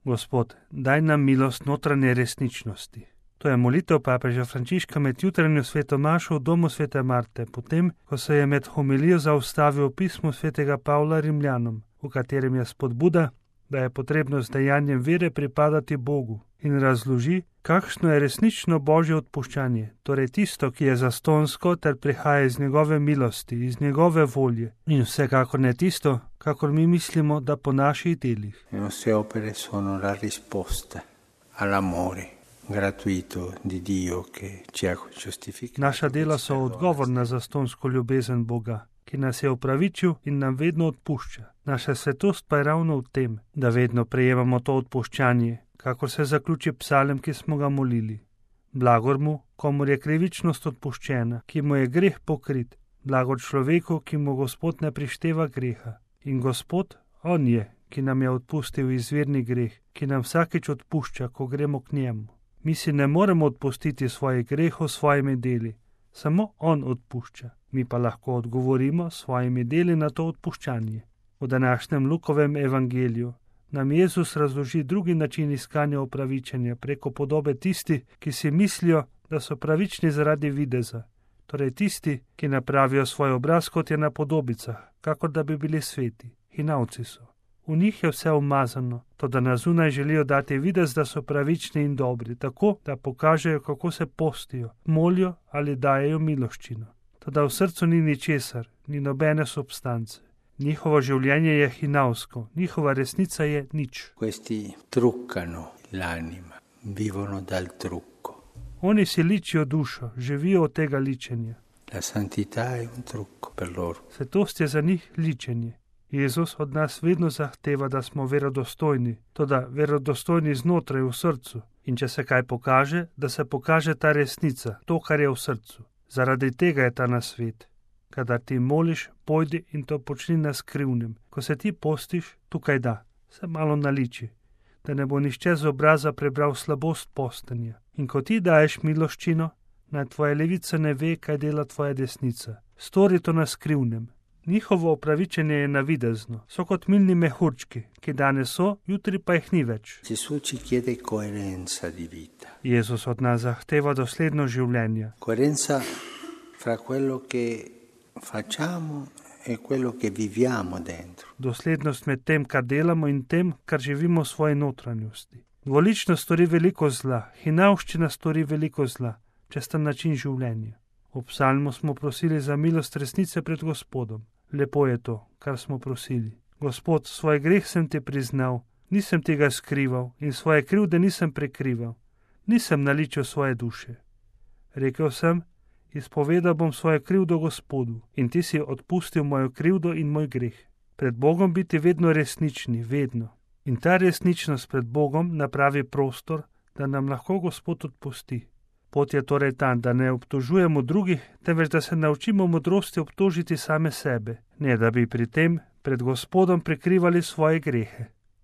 Gospod, daj nam milost notranje resničnosti. To je molitev papeža Frančiška med jutranjo sveto mašo v domu svete Marte, potem, ko se je med homilijo zaustavil v pismu svetega Pavla Rimljanom, v katerem je spodbuda, da je potrebno z dejanjem vere pripadati Bogu, in razloži, kakšno je resnično božje odpuščanje, torej tisto, ki je zastonsko ter prihaja iz njegove milosti, iz njegove volje, in vsekakor ne tisto, kakor mi mislimo, da po naših delih. Le nostre opere sono la risposta all'amore gratuito di Dio che ci ha giustificato. Naša dela so odgovor na zastonsko ljubezen Boga, ki nas je upravičil in nam vedno odpušča. Naša svetost pa je ravno v tem, da vedno prejemamo to odpuščanje, kakor se zaključi psalem, ki smo ga molili. Blagor mu, komur je krivičnost odpuščena, ki mu je greh pokrit, blagor človeku, ki mu Gospod ne prišteva greha. In Gospod, on je, ki nam je odpustil izvirni greh, ki nam vsakič odpušča, ko gremo k njemu. Mi si ne moremo odpustiti svojih grehov s svojimi deli, samo on odpušča. Mi pa lahko odgovorimo s svojimi deli na to odpuščanje. V današnjem Lukovem evangeliju nam Jezus razloži drugi način iskanja opravičenja preko podobe tisti, ki si mislijo, da so pravični zaradi videza, torej tisti, ki napravijo svoj obraz, kot je na podobicah, kakor da bi bili sveti. Hinavci so. V njih je vse umazano, toda na zunaj želijo dati videz, da so pravični in dobri, tako, da pokažejo, kako se postijo, molijo ali dajejo miloščino. Toda v srcu ni ničesar, ni nobene substance. Njihovo življenje je hinavsko, njihova resnica je nič. Questi truccano l'anima, vivono dal trucco. Oni si ličijo dušo, živijo od tega ličenja. La santità è un trucco per loro. Svetost je za njih ličenje. Jezus od nas vedno zahteva, da smo verodostojni, toda verodostojni znotraj v srcu. In če se kaj pokaže, da se pokaže ta resnica, to, kar je v srcu. Zaradi tega je ta nasvet. Kadar ti moliš, pojdi in to počni na skrivnem. Ko se ti postiš, tukaj da, se malo naliči, da ne bo nišče z obraza prebral slabost postenja. In ko ti daješ miloščino, naj tvoja levica ne ve, kaj dela tvoja desnica. Stori to na skrivnem. Njihovo opravičenje je navidezno, so kot milni mehurčki, ki danes so, jutri pa jih ni več. Jezus od nas zahteva dosledno življenje. Coerenza fra quello che facciamo e quello che viviamo dentro. Doslednost med tem, kar delamo in tem, kar živimo v svoji notranjosti. Dvoličnost stori veliko zla, hinavščina stori veliko zla, česten način življenja. V psalmu smo prosili za milost resnice pred Gospodom. Lepo je to, kar smo prosili. Gospod, svoj greh sem ti priznal, nisem tega skrival in svoje krivde nisem prekrival. Nisem naličil svoje duše. Rekel sem, izpovedal bom svojo krivdo Gospodu in ti si odpustil mojo krivdo in moj greh. Pred Bogom biti vedno resnični, vedno. In ta resničnost pred Bogom napravi prostor, da nam lahko Gospod odpusti. Pot je torej ta, da ne obtožujemo drugih, temveč da se naučimo modrosti obtožiti same sebe, ne da bi pri tem pred Gospodom prikrivali svoje grehe.